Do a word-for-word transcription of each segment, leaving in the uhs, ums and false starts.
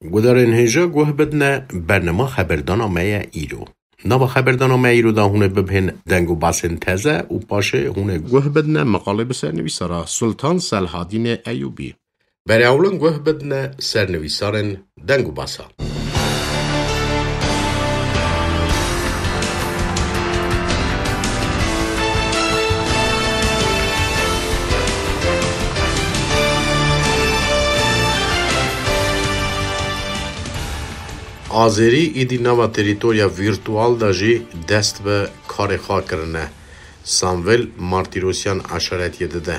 Gudarên hêja guh bidine bernama xeberdana me ye îro. Nava xeberdana me îro de hûn ê bibihên deng û basên teze û paşê hûn ê guh bidine meqalê bi sernivîsara Sultan Selhadînê Eyûbî. Berê ewlin guh bidine sernivîsarên deng û basa. Azerî îdî nava terîtorya vîrtual de jî dest bi karê xwe kirine. Samvel Martîrosyan eşaretiyê dide.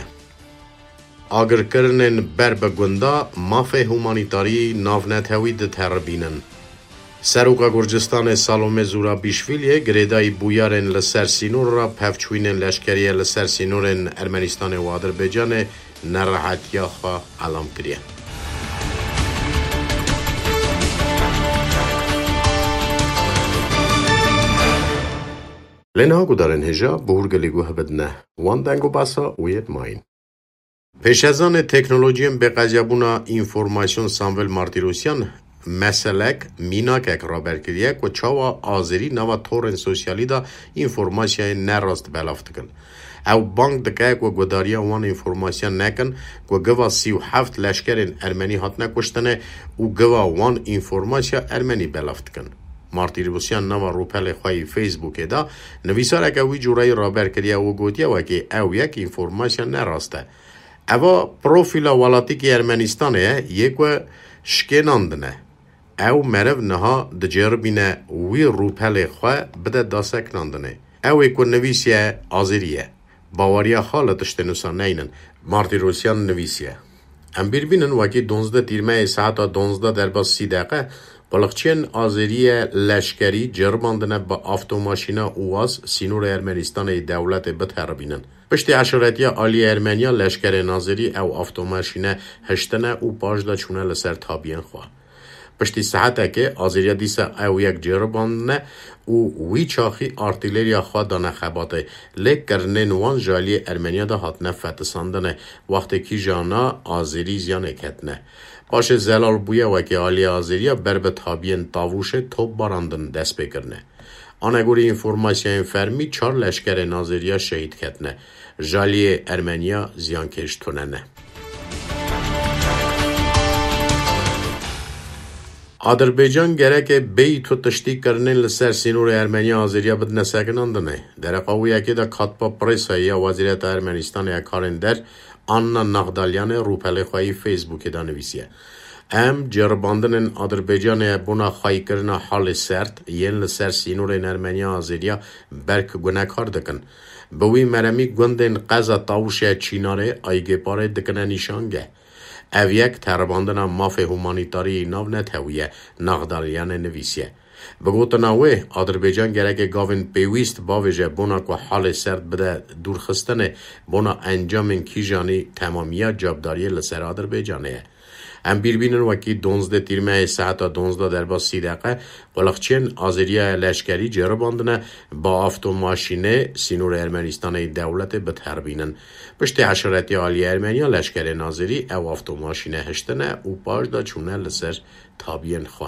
Agirkirinên ber bi gunda mafê humanîtarî navnetewî diteribînin. Seroka Gurcistanê Salome Zurabîşvîliyê girêdayî bûyerên li ser sînor re pevçûyînên leşkerî ye li ser sînorên Ermenistanê û Adirbaycanê nerehetiya xwe elam kiriye. Lê niha gudarên hêja bi hûrgilî guh bidine wan deng û basa û yê dimayîn. Pêşezanê teknolojiyên bêqeziyabûna înformasyon Samvel Martîrosyan meselek, mînakek raber kiriye ku çawa Azerî nava torên sosyalî de înformasyayên nerast belav dikin. Ew bang dike ku gudariya wan înformasyan nekin ku giva sî û heft leşkerên ermenî hatine kuştine û giva wan înformasya ermenî belav dikin. Martîrosyan nava rûpelê xwe yî Facebookê de nivîsareke wî cûreyî raber kiriye û gotiye wekî ew yek înformasya nerast e. Eva profîla welatîkî Ermenistanê ye, yê ku şikênandine. Ew meriv niha diceribîne wî rûpelê xwe bide daseknandinê. Ew ê ku nivîsiye Azerî ye. Baweriya xwe li tiştên wisa neynin. Martîrosyan nivîsiye. Em bîr bînin wekî donzdeh tîrmeyê saeta donzdeh derbas sî deqe, quliqçiyên Azeriye leşkerî ceribandine bi avtomaşîna ûwaz sînorê Ermenistanê yê dewletê biteribînin. Piştî eşaretiya aliyê Ermeniya leşkerên Azerî ew avtomaşîne hiştine û paş de çûne li ser tabiyên xwe. Piştî saetekê Azeriya dîsa ew yek ceribandine û wî çaxî artîleriya xwe dane xebatê, lê kirinên wan ji aliyê Ermeniya de hatine fetisandine, wextê kîjana Azerî ziyanê ketine. Paşê zelal bûye wekî aliyê Azeriya ber bi tabiyên tavûşê top barandin dest pê kirine. Anegorî înformasyayên fermî çar leşkerên Azeriya şehîd ketine. Ji aliyê Ermeniya ziyankêş tune ne. Adirbaycan gereke bêyî tu tiştî kirinên li ser sînorê Ermeniya Azeriya bidine sekinandinê. Dereqa wê yekê de katba presayê ya Wezîreta Ermenistanê ya Karên Der, Anna Naxdalyanê rûpelê xwe yî Facebookê de nivîsiye. Em ceribandinên Adirbaycanê bona xweyîkirina halê sert yên li ser sînorên Ermeniya Azeriya berk gunekar dikin. Bi wî meremî gundên qeza Tawşe Çînarê Aygêparê dikine nîşangeh. Ev yek teribandina mafê humanîtarî yî navnetewî ye, Naxdalyanê nivîsiye. Bi gotina wê, Adirbaycan gereke gavên pêwîst bavêje bona ku halê serd bide dûrxistinê, bona encamên kîjanî temamiya cavdariyê li ser Adirbaycanê ye. Em bîr bînin wekî donzdeh tîrmeyê saeta donzdeh derbas sî deqe, quliqçiyên Azeriya leşkerî ceribandine bi avtomaşînê sînorê Ermenistanê yê dewletê biteribînin. Piştî eşaretiya aliyê Ermeniya leşkerên Azerî ew avtomaşîne hiştine û paş de çûne li ser tabiyên xwe.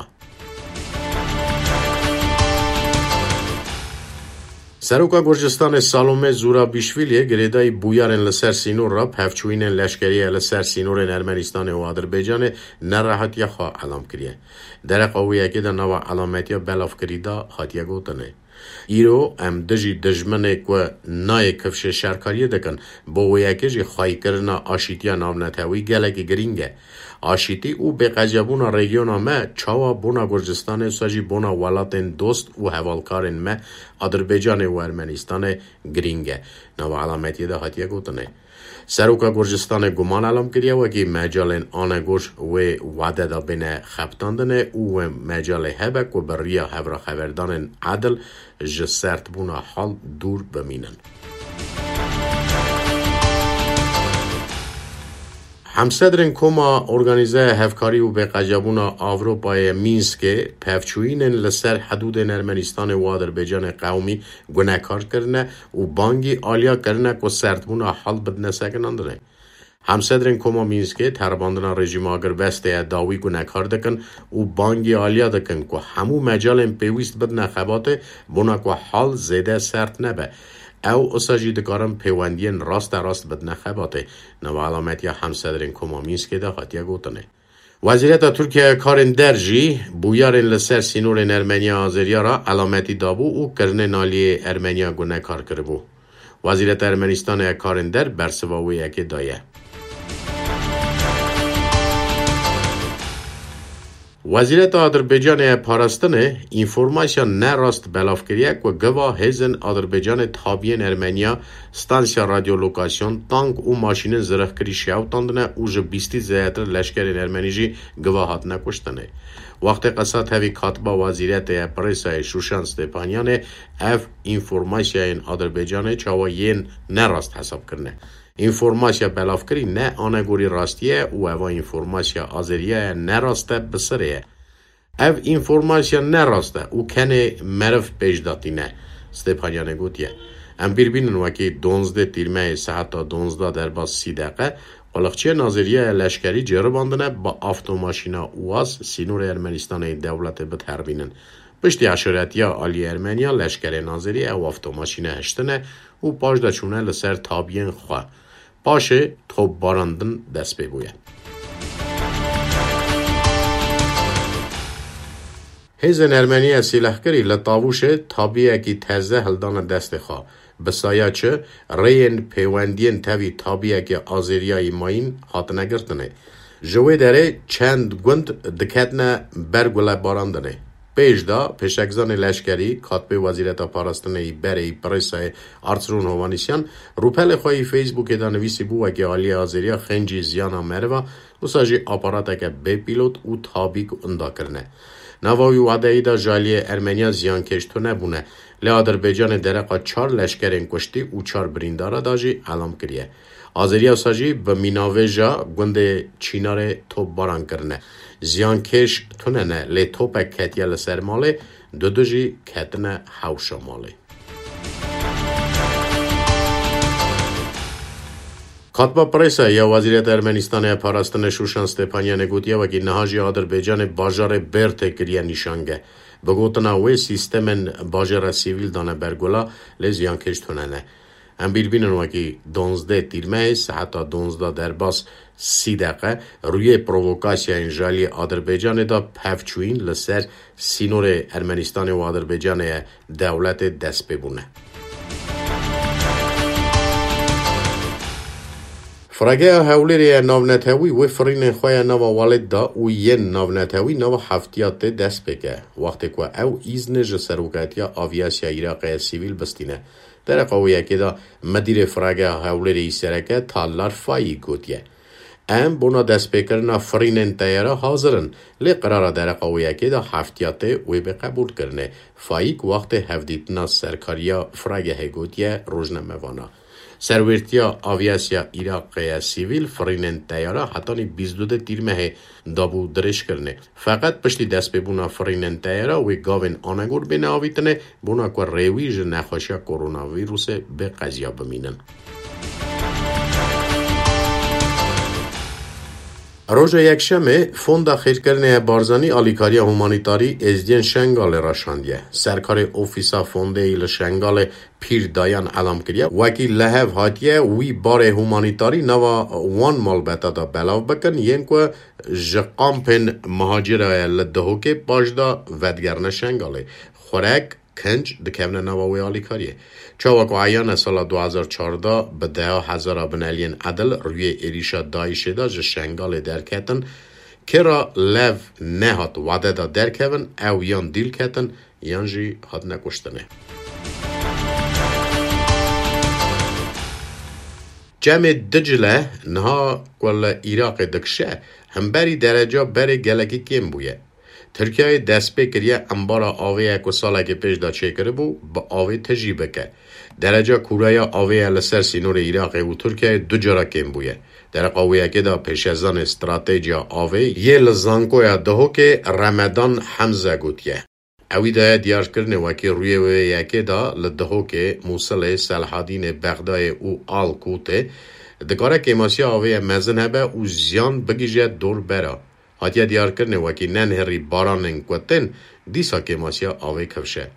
Seroka Gurcistanê Salome Zurabîşvîliyê girêdayî bûyerên li ser sînor re pevçûyînên leşkerî ye li ser sînorên Ermenistanê û Adirbaycanê nerehetiya xwe elam kiriye. Dereqa wê yekê de nava elametiya belavkirî de hatiye gotinê. Îro em dijî dijminê ku nayê kifşê şerkariyê dikin, bo wê yekê jî xweyîkirina aşîtiya navnetewî gelekî girîng e. Aşîtî û bêqecebûna rejyona me çawa bona Gurcistanê wisa jî bona welatên dost û hevalkarên me Adirbaycanê û Ermenistanê girîng e. Nava elametiyê de hatiye gotinê. Seroka Gurcistanê guman elam kiriye wekî mecalên anegor wê wade de bêne xebitandinê û wê mecalê hebe ku bi riya hevraxeverdanên edil ji serdbûna hal dûr bimînin. Hemsedrên Koma Organîzeya Hevkarî û Bêqecebûna Ewropayê Mînskê pevçûyînên li ser hidûdên Ermenistanê û Adirbaycanê qewmî gunekar kirine û bangî aliya kirine ku serdbûna hal bidine sekinandinê. Hemsedrên Koma Mînskê teribandina rejîma agirbestê ye dawî gunekar dikin û bangî aliya dikin ku hemû mecalên pêwîst bidine xebatê, bona ku hal zêde sert nebe. Ew usa jî dikarin pêwendiyên rasterast bidine xebatê. Nava elametiya Hemsedrên Koma Mînskê de hatiye gotinê. Wezîreta Tirkiye ya Karên Der jî bûyerên li ser sînorên Ermeniya Azeriya re elametî dabû û kirinên aliyê Ermeniya gunekar kiribû. Wezîreta Ermenistanê ya Karên Der bersiva wê yekê daye. Wezîreta Adirbaycanê ya Parastinê înformasya nerast belav kiriye ku giva hêzên Adirbaycanê tabiyên Ermeniya, stansiya radyolokasyon, tank û maşînên zirixkirî şewitandine û ji bîstî zêdetir leşkerên Ermenî jî giva hatine kuştinê. Wextê qesa tevî katiba Wezîretê ya Presayê Şuşan Stepanyanê ev înformasyayên Adirbaycanê çawa yên nerast hesab kirine. Înformasya belavkirî ne anegorî rastiyê ye û eva înformasya azeriya ye, nerast e, bi sirê ye. Ev înformasya nerast e û kenê meriv pêş de tîne, Stepanyanê gotiye. Em bîr bînin wekî donzdeh tîrmeyê saeta donzdeh derbas sî deqe, quliqçiyên azeriya ye leşkerî ceribandine bi avtomaşîna UAZ sînorê Ermenistanê yê dewletê biteribînin. Piştî eşaretiya aliyê Ermeniya, leşkerên azerî ew avtomaşîne hiştine û paş de çûne li ser tabiyên xwe. Paşê topbarandin dest pê bûye. Hêzên Ermeniya sîlehkirî li Tavûşê tabiyekî teze hildane destê xwe. Bi saya çi, rêyên pêwendiyên tevî tabiyekê azeriyayî mayîn hatine girtinê. Ji wê derê çend gund diketine ber gulebarandinê. Pêş de pêşekzanê leşkerî, katibê Wezîreta Parastinê yî berê yî Presayê Artsrûn Hovanîsyan, rûpelê xwe yî Facebookê de nivîsîbû wekî aliyê azeriya xêncî ziyana meriva, wisa jî aparateke bê pîlot û tabî ku inda kirine. Nava wî wadeyî de ji aliyê Ermeniya ziyankêş tune bûne. Lê Adirbaycanê dereqa çar leşkerên kuştî û çar birîndara da jî elam kiriye. Azeriya wisa jî bi mînavêja gundê Çînarê topbaran kirine. Ziyankêş tune ne, lê topek ketiye li ser malê, dudu jî ketine hewşa malê. Katba Presa ya Wezîreta Ermenistanê ya Parastinê Şuşan Stepanyanê gotiye, wekî niha jî Adirbaycanê bajarê Bêrtê kiriye nîşangeh. Bi gotina wê, sîstemên bajêra sivîl dane bergula, lê ziyankêş tune ne. Em bîr bînin wekî donzdeh tîrmeyê saeta donzdeh derbas sî deqe rûyê provokasyayên ji aliyê Adirbaycanê de pevçûyîn li ser sînorê Ermenistanê û Adirbaycanê ye dewletê dest pê bûne. Frageya Hewlêrê ye navnetewî wê firînên xwe ya nava welêt da û yên navnetewî nava heftiyatê dest pê ke, wextê ku ew îznê ji serokatiya aviasiya Iraqê ye sivîl bistîne. Dereqa wê yekê de Midîrê Firageha Hewlêrê yî sereke Tallar Fayî gotiye, em bona destpêkirina firînên teyara hazir in, lê qirara dereqa wê yekê de heftiyatê wê bê qebûlkirinê. Fayîk wextê hevdîtina serkariya firagehê gotiye rojnamevana, serwêrtiya aviasiya Iraqê ye sivîl firînên teyara hetanî bîst û du tîrmehê dabû dirêjkirinê. Feqet piştî destpêbûna firînên teyara wê gavên anegor bêne avîtinê, bona ku rêwî ji nexweşiya koronavîrusê bê qeziya bimînin. Roja Yekşemê, Fonda Xêrkirinê ya Barzanî alîkariya humanîtarî êzdiyên Şengalê raşandiye. Serkarê Ofîsa Fondê yî li Şengalê Pîr Dayan elam kiriye, wekî li hev hatiye wî barê humanîtarî nava wan malbeta de belav bikin, yên ku ji kampên muhacira ye li Dihokê paş de vedigerine Şengalê. Xurek, kinc dikevine nava wê alîkariyê. Çawa ku eyan e, sala du hezar çardeh bi deha hezara bineliyên edil rûyê êrîşa DAIŞê de ji Şengalê derketin, kê re lev nehat wade de derkevin, ew yan dîl ketin, yan jî hatine kuştinê. Çemê Dicle niha ku li Iraqê dikişe, hemberî dereca berê gelekî kêm bûye. Tirkiyeyê dest pê kiriye embara avê ye ku salekê pêş de çêkiribû, bi avê tijî bike. Dereca kûreya avê ye li ser sînorê Iraqê û Tirkiyeyê du cara kêm bûye. Dereqa wê yekê de pêşezanê stratejiya avê yê li Zankoya Dihokê Remedan Hemze gotiye. Ewî daye diyarkirinê wekî rûyê wê yekê de li Dihokê, Mûsilê, Selhadînê, Bexdayê û Al Kûtê Dikare kêmasiya avê ye mezin hebe û ziyan bigihîje dorbera. Hatiye diyarkirinê wekî nenhêrî baranên ku tên, dîsa kêmasiya avê kifş e.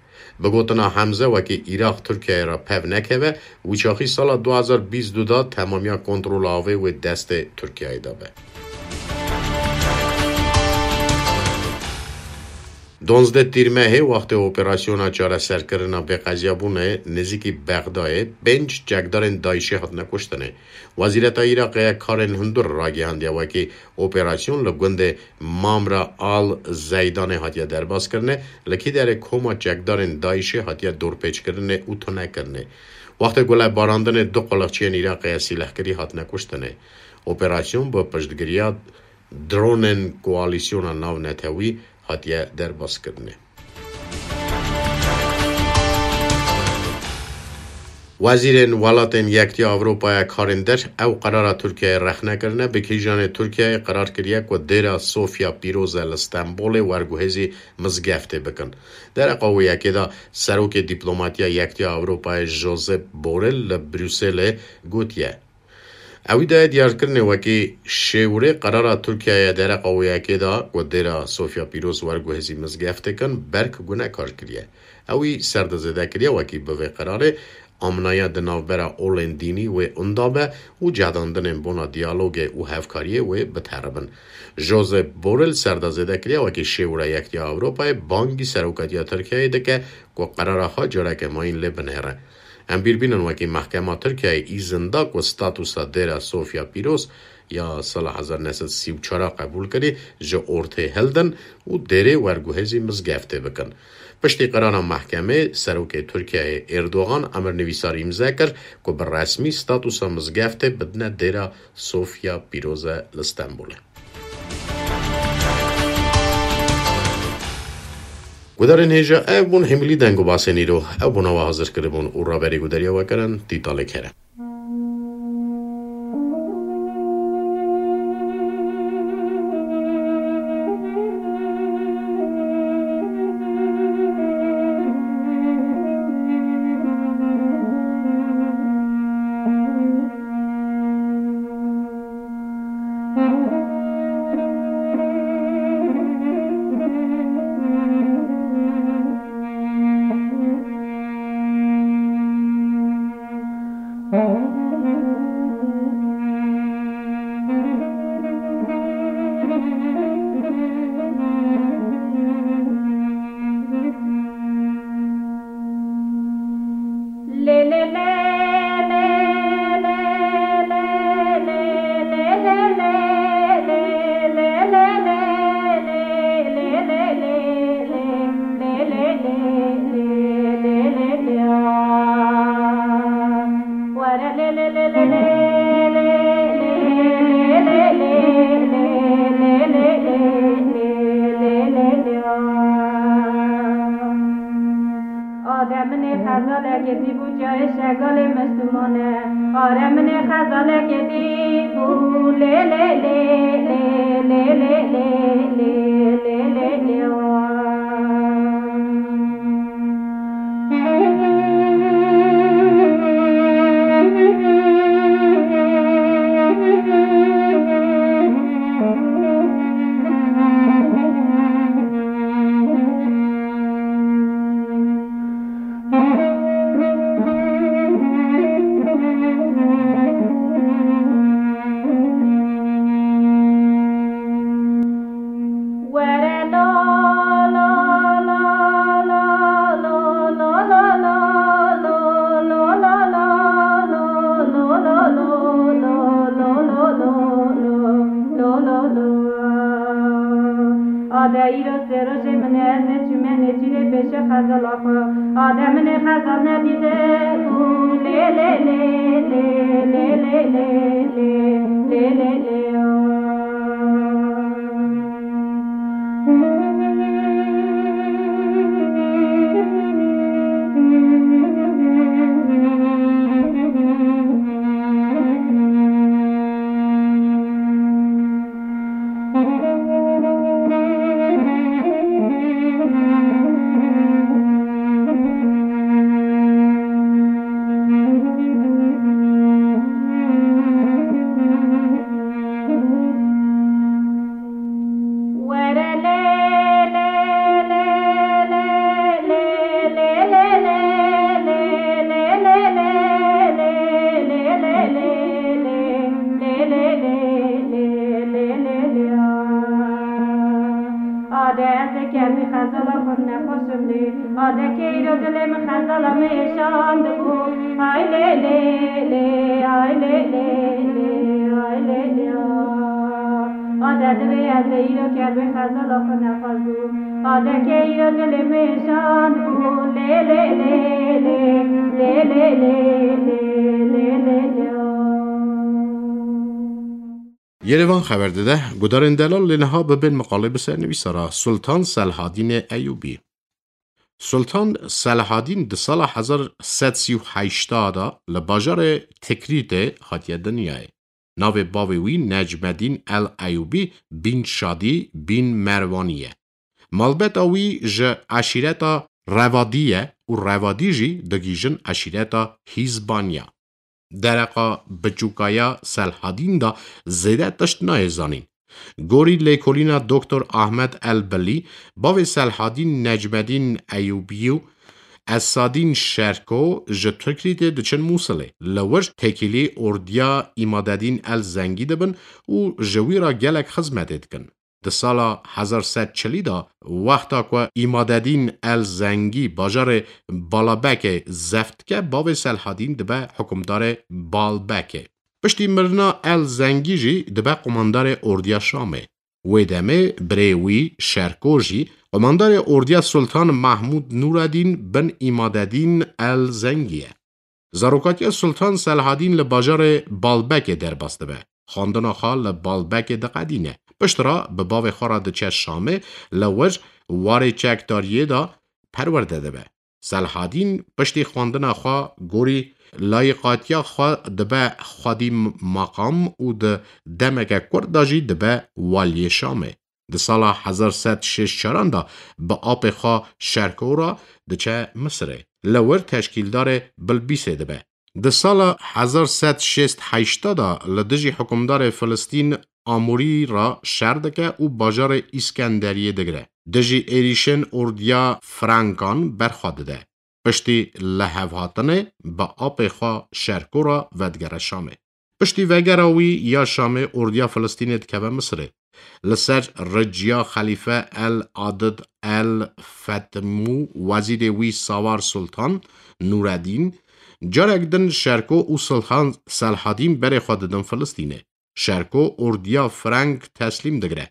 Bi gotina Hemze, wekî Iraq Tirkiyeyê re pev nekeve, wî çaxî sala du hazar bîst û du de temamiya kontrola avê wê destê Tirkiyeyê de be. Duwazdeh Tîrmehê wextê operasyona çareserkirina bêqeziyabûnê nêzîkî Bexdayê pênc çekdarên DAIŞê hatine kuştinê. Wezîreta Iraqê ya karên hundir ragihandiye wekî operasyon li gundê Mamra Al Zeydanê hatiye derbaskirinê, li kî derê koma çekdarên DAIŞê hatiye dorpêçkirinê û tunekirinê. Wextê gulebarandinê du quliqçiyên Iraqê ya sîlehkirî hatine kuştinê. Operasyon bi piştgiriya dronên koalîsyona navnetewî hatiye derbaskirinê. Wezîrên Welatên Yektiya Ewropaya Karên Der ew qerara Tirkiyeyê rexne kirine, bi kîjanê Tirkiyeyê qerar kiriye ku dêra Sofya Pîroz e li Stenbolê werguhêzî mizgeftê bikin. Dereqa wê yekê de serokê dîplomatiya Yektiya Ewropayê Josep Borrell li Brukselê gotiye, Ewî daye diyarkirinê wekî şêwirê qerara Tirkiyeyê dereqa wê yekê de ku dêra Sofya Pîroz werguhêzî mizgeftê kin, berk gunekar kiriye. Ewî serdizêde kiriye wekî bi vê qerarê amnaya di navbera olên dînî wê unda be û cedandinên bona diyalogê û hevkariyê wê biteribin. Josep Borrell serdizêde kiriye wekî şêwira Yektiya Ewropayê bangî serokatiya Tirkiyeyê dike ku qerara xwe careke mayîn lê binêre. Em bîr bînin wekî mehkema Tirkiyeyê îzin da ku statusa dêra Sofya Pîroz ya sala hezar neh sed sî û çar qebûl kirî ji ortê hildin û dêrê werguhêzî mizgeftê bikin. Piştî qerara mehkemê, serokê Tirkiyeyê Erdogan emirnivîsar îmze kir ku bi resmî statusa mizgeftê bidine dêra Sofya Pîroz e li Stenbolê. Gudarên hêja, ev bûn hemilî deng û basên îro. Ew bona we hazir kiribûn û raberî gudariya we kirin Tîtalê Kerem. Are minê xezalekê dî bû cayê şegalê mistumane. Are minê xezalekê dî bû lê lê lê lê lê lê lê lê lê lê lê. Ade îro sê rojê min e, ez neçûme nêçîrê pêşe xezala xwe. Ade min ê xezal nedîte û lê lê lê lê lê lê lê lê lê lê lê. Ade ez ê kermî xezala xwe nexweşim lê. Ade ke îro dilê min xezala min êşandibû. Ay lê lê lê, ay lê lê lê, ay lê lê a. Ade divê ez ê îro kermî xezala xwe nexwezbû. Ade ke îro dilê min êşandibû. Lê lê lê lê, lê lê lê lê, lê lê lê a. Yerevan xeber dide, gudarên delal lê niha bibên miqalê bi sernivîsa re, Sultan Selhadînê Eyûbî. Sultan Selhadîn di sala hezar sed sî û heşt de li bajarê Tikrîtê hatiye dinyayê. Navê bavê wî Necmedîn el Eyûbî bîn Şadî bîn Merwanî ye. Malbeta wî ji eşîreta Revadî ye û Revadî jî digihîjin eşîreta Hîzbaniya. Dereqa biçûka ya Selhadîn de zêde tişt nayê zanîn. Gorî lêkolîna Doktor Ahmed El Bilî, bavê Selhadîn Necmedîn Eyûbî û Esadîn Şerko ji Tikrîtê diçin Mûsilê. Li wir têkilî ordiya Îmadedîn El Zengî dibin û ji wî re gelek xizmetê dikin. Di sala hezar sed çilî de, wexta ku Îmadedîn El Zengî bajarê Balabekê zeft dike, bavê Selhadîn dibe hukimdarê Balbekê. Piştî mirina El Zengî jî dibe qomandarê ordiya Şamê. Wê demê birê wî Şerko jî qomandarê ordiya Sultan Mahmûd Nûredîn bin Îmadedîn El Zengî ye. Zarokatiya Sultan Selhadîn li bajarê Balbekê derbas dibe. Xwendina xwe li Balbekê diqedîne. Piştre bi bavê xwe re diçe Şamê, li wir warê çekdariyê de perwerde dibe. Selhadîn piştî xwendina xwe gorî layiqatiya xwe dibe xwedî maqam û di demeke kurt de jî dibe waliyê Şamê. Di sala hezar sed şêst çaran de bi apê xwe Şerko re diçe Misirê. Li wir teşkîldarê Bilbîsê dibe. Di sala hezar sed şêst heşt de li dijî hikûmdarê Filistîn Amûrî re şer dike û bajarê Îskenderiyê digire. Dijî êrîşên ordiya Frankan berxwe dide. Piştî lihevhatinê bi apê xwe Şerko re vedigere Şamê. Piştî vegera wî ya Şamê, ordiya Filistînê dikeve Misirê. Li ser riciya Xelîfe El Adid El Fetimû, wezîrê wî Sawar Sultan Nûredîn, carek din Şerko û Sultan Selhadîn berê xwe didin Filistînê. Şerko ordiya Frank teslîm digire.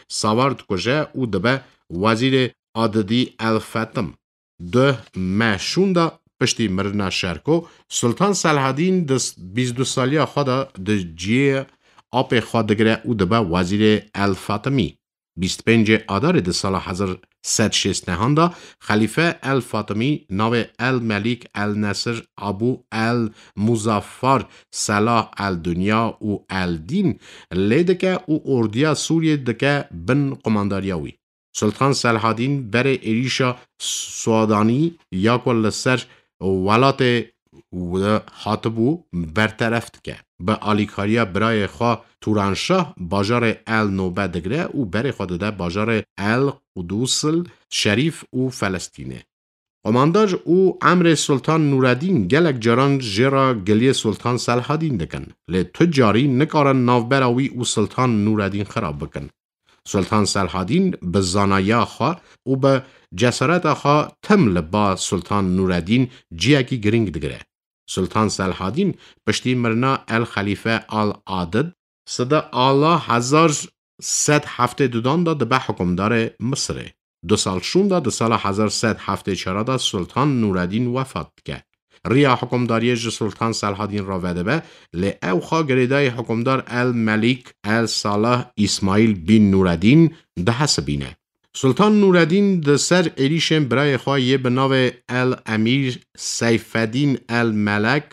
Sawar dikuje û dibe wezîrê Adidî El Fetim. Duh me şûnda piştî mirina Şerko, Sultan Selhadîn di bîst du saliya xwe de di cihê apê xwe digire û dibe wezîrê El Fatimî. Bîst pêncê Adarê di sala hezar sed şêst nehan de Xelîfe El Fatimî navê El Melîk El Nesir Abu El Muzaffar Selah El Dunya û El Dîn lê dike û ordiya Sûriyê dike bin qumandariya wî. Sultan Selhadîn berê êrîşa Suadanî ya ku li ser welatê wê hatibû berteref dike. Bi alîkariya birayê xwe Turanşah bajarê El Nobe digire û berê xwe dide bajarê El Qudusil Şerîf û Felestînê. Qomandar û emrê Sultan Nûredîn gelek caran jê re giliyê Sultan Selhadîn dikin, lê tu carî nikarin navbera wî û Sultan Nûredîn xirab bikin. Sultan Selhadîn bi zanayiya xwe û bi cesareta xwe tim li ba Sultan Nûredîn ciyekî girîng digire. Sultan Selhadîn piştî mirina El Xelîfe Al Adid, sida ala hezar sed heftê dudan de dibe hikûmdarê Misirê. Du sal şûnda di sala hezar sed heftê çar de Sultan Nûredîn wefat dike. Riya hikûmdariyê ji Sultan Selhadîn re vedibe, lê ew xwe girêdayî hikûmdar El Melîk El Salih Îsmaîl bîn Nûredîn dihesibîne. Sultan Nûredîn di ser êrîşên birayê xwe yê bi navê El Emîr Seyfedîn El Melek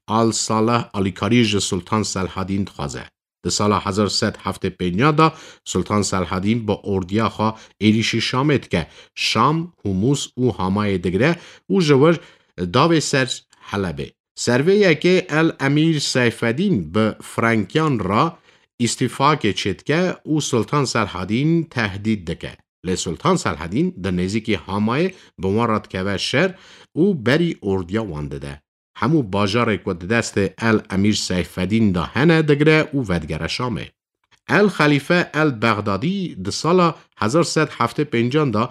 Al Salih alîkarî ji Sultan Selhadîn dixwaze. Di sala hezar sed heftê pênc de Sultan Selhadîn bi ordiya xwe êrîşî Şamê dike. Şam, Humus û Hamayê digire û ji wir davê ser Helebê. Ser vê yekê El Emîr Seyfedîn bi Frankiyan re îstîfakê çêdike û Sultan Selhadîn tehdît dike. Lê Sultan Selhedîn di nêzîkî Hamayê bi wan re dikeve şer û berî ordiya wan dide. Hemû bajarê ku di destê El Emîr Seyfedîn de hene digire û vedigere Şamê. El Xelîfe El Bexdadî di sala hezar sed heftê pêncan de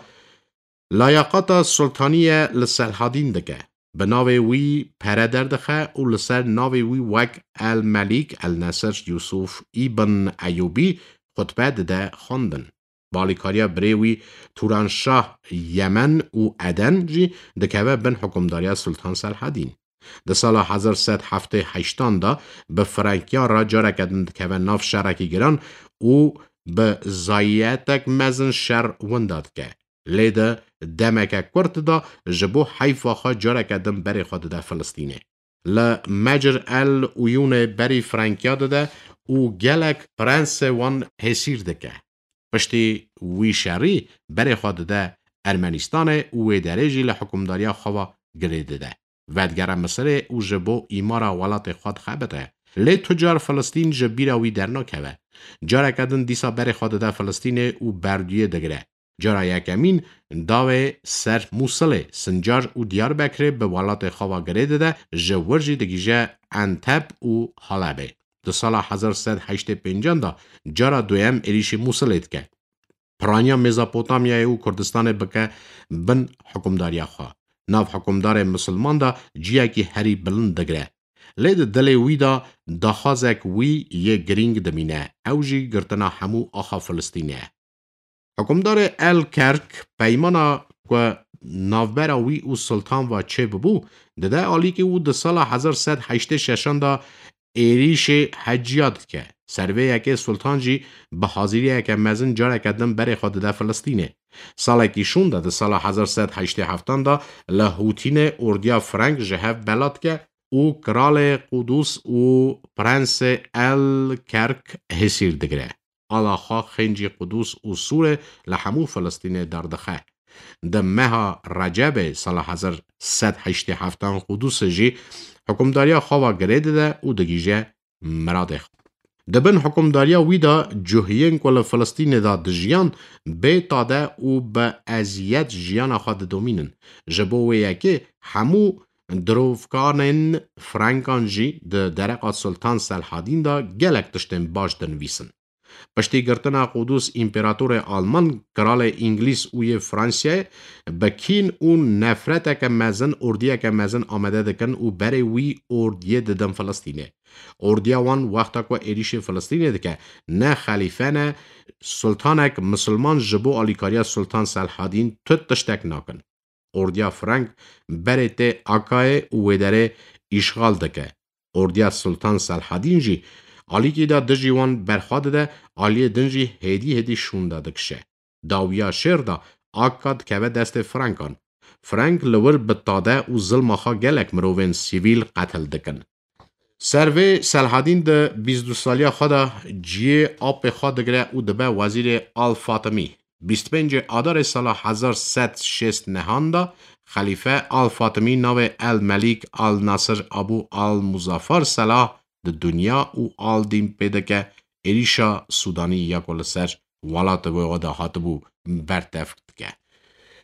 layaqata sultaniye li Selhadîn dike. Bi navê wî pere derdixe û li ser navê wî wek El Melîk El Nesir Yûsûf Îbn Eyûbî xutbe dide xwendin. Bi alîkariya birê wî Turanşah Yemen û Eden jî dikeve bin hikûmdariya Sultan Selhadîn. Di sala hezar sed heftê heştan de bi Frankiyan re careke din dikeve nav şerekî giran û bi zayiyetek mezin şer winda dike. Lê di demeke kurt de ji bo heyfa xwe careke din berê xwe dide Filistînê. Li Mecr El Uyûnê berî Frankiya dide û gelek prensê wan hêsîr dike. Piştî wî şerî berê xwe dide Ermenîstanê û wê derê jî li hikûmdariya xwe ve girê dide. Vedigere Misirê û ji bo îmara welatê xwe dixebite. Lê tu car Filistîn ji bîra wî dernakeve. Careke din dîsa berê xwe dide Filistînê û berdûyê digire. Cara yekemîn dawê ser Mûsilê, Sincar û Diyarbekirê bi welatê xwe ve girê dide, ji wir jî digihîje Enteb û Halebê. Di sala hezar sed heştê pêncan de cara duyem êrîşî Mûsilê dike. Piraniya Mezopotamyayê û Kurdistanê bike bin hikûmdariya xwe. Nav hikûmdarê misilman de ciyekî herî bilind digire. Lê di dilê wî de daxwazek wî yê girîng dimîne, ew jî girtina hemû axa Filistînê ye. Hikûmdarê El Kerk peymana ku navbera wî û Sultan ve çêbibû, dide alîkî û di sala hezar sed heştê şeşan de êrîşê heciya dike. Ser vê yekê Sultan jî bi haziriyeke mezin careke din berê xwe dide Filistînê. Salekî şûnde di sala hezar sed heştê heftan de li Hûtînê ordiya Frank ji hev bela dike û Kralê Qudûs û Prensê El Kerk hêsîr digire. Ala xwe xêncî Qudûs û Sûrê li hemû Filistînê derdixe. Di meha Recebê sala hezar sed heştê heftan Qudûsê jî hikûmdariya xwe ve girê dide û digihîje miradê xwe. Di bin hikûmdariya wî de cihiyên ku li Filistînê de dijiyan bê tade û bi eziyet jiyana xwe didomînin. Ji bo wê yekê hemû dirovkanên Frankan jî di dereqa Sultan Selhadîn de gelek tiştên baş dinivîsin. Piştî girtina Qudûs, împeratorê Alman, kralê Îngilîz û yê Fransiyayê bi kîn û nefreteke mezin ordiyeke mezin amade dikin û berê wî ordiyê didin Filistînê. Ordiya wan wexta ku êrîşê Filistînê dike, ne xelîfe ne sultanek misilman ji bo alîkariya Sultan Selhadîn tu tiştek nakin. Ordiya Frank berê tê Akayê û wê derê îşxal dike. Ordiya Sultan Selhadîn jî alîkî de dijî wan berxwe dide, aliyê din jî hêdî hêdî şûnde dikişe. Dawiya şêr de Akka dikeve destê Frankan. Frank li wir bi tade û zilma xwe gelek mirovên sivîl qetil dikin. Ser vê Selhadîn di bîst û du saliya xwe de ciyê apê xwe digire û dibe wezîrê Al Fatimî. Bîst pêncê Adarê sala hezar sed şêst nehan de Xelîfe Al Fatimî navê El Melîk Al Nasir Abu Al Muzaffar Selah di dinya û Al Dîn pê dike êrîşa Sûdanî ya ku li ser welatê wê de hatibû bertev dike.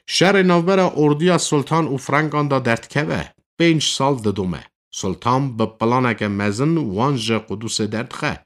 Şerê navbera ordiya Sultan û Frankan de derdikeve, pênc sal didome. Sultan bi planeke mezin wan ji Qudusê derdixe.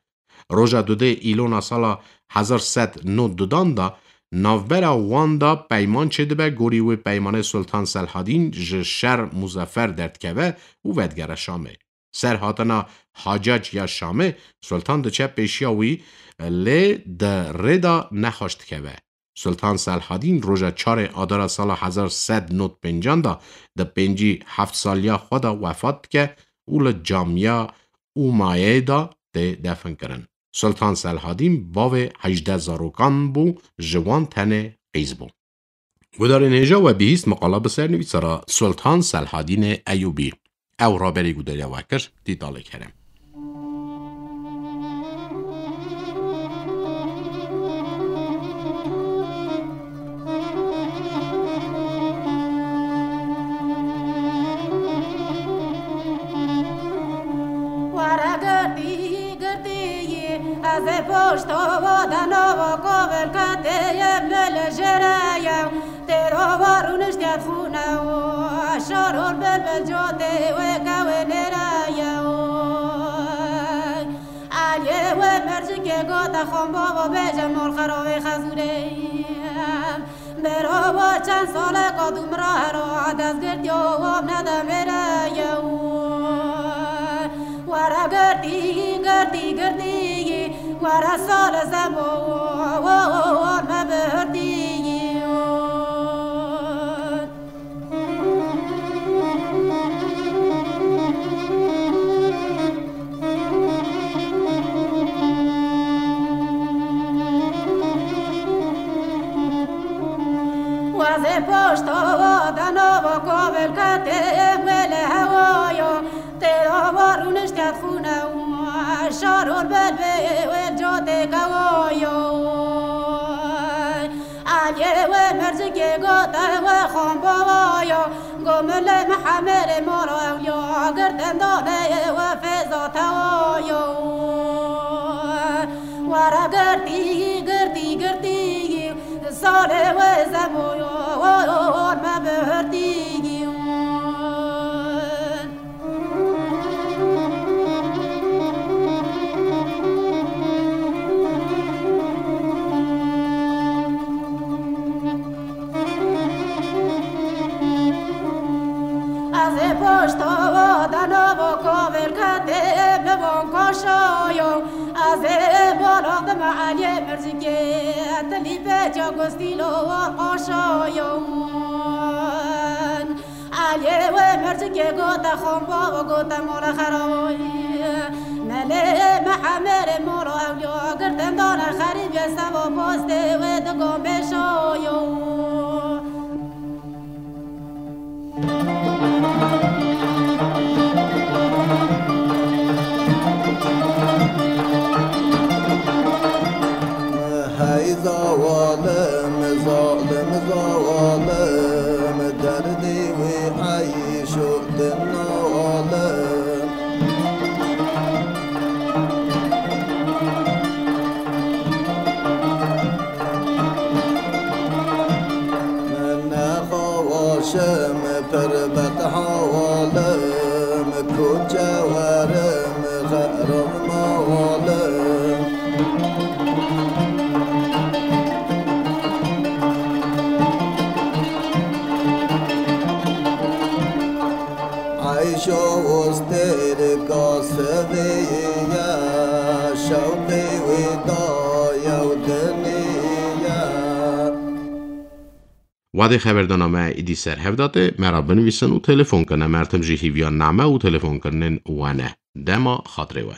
Roja dudê Îlona sala hezar sed nod dudan de navbera wan de peyman çêdibe, gorî wê peymanê Sultan Selhadîn ji şer Muzeffer derdikeve û vedigere Şamê. Ser hatina Hacac ya Şamê, Sultan diçe pêşiya wî, lê di rê de nexweş dikeve. Sultan Selhadîn roja çarê Adara sala hezar sed nod pêncan de di pêncî heft saliya xwe de wefat dike û li camiya Umayê de tê definkirin. Sultan Selhadîn bavê hejdeh zarokan bû, ji wan tenê qîz bû. Gudarên hêja, we bihîst miqala bi sernivîsara Sultan Selhadînê Eyûbî. Ew raberî gudariya we kir, Tîtalê Kerem. Were girtî, girtî yî, ez ê poşto dano kovel ketê yê mil jere ye. Têro wa rûniştiye xûne û şorol bilbil cotê wê kewê nêre ye. Aliyê wê mercikê gota Xan bava bêje mal xeravê xezûrê. Berava çend saleka dû miraro dest girtiyo wan nedemêre yew. Were girtî, girtî, girtî, were sal zemo wan me bihirtî. Wazê poşta dana va kavel kete wele hewaya, têra va rûniştet xûne û şaror belbê wê cotê kewayo. Aliyê wê mercikê gote wê xan bavaya, go milê Mihemêrê mala ewliya, girtin danê wê fêza tewayo. Were girtî, girtî, girtî, salê wê zemoyo, me bihirtî. Ez ê poşta dana va kavel kete bi van kaşayo. Ez ê bala dime Eliyê Mircikê, tilî pêça gustîlo war qaşayo. Aliyê wê mercikê gote xan bava gote mala xerawayî. Melê Mihemêrê mala ewliya, girtin dane xerîbê seva postê wê digo mêşayo. Hey zawalim, zalim zawalim, derdê wê eyşo din nawalim. Nexawaşim pir bet hawalim, koçe werim xeram mawalim. Eyşo ostêrika sivê ye, şewqê wê daye û dinê ye. Wadê xeberdana me îdî ser hev date, me ra binivîsin û telefon kine. Mertim jî hîviya name û telefonkirinên we ne. Dema xatirê we.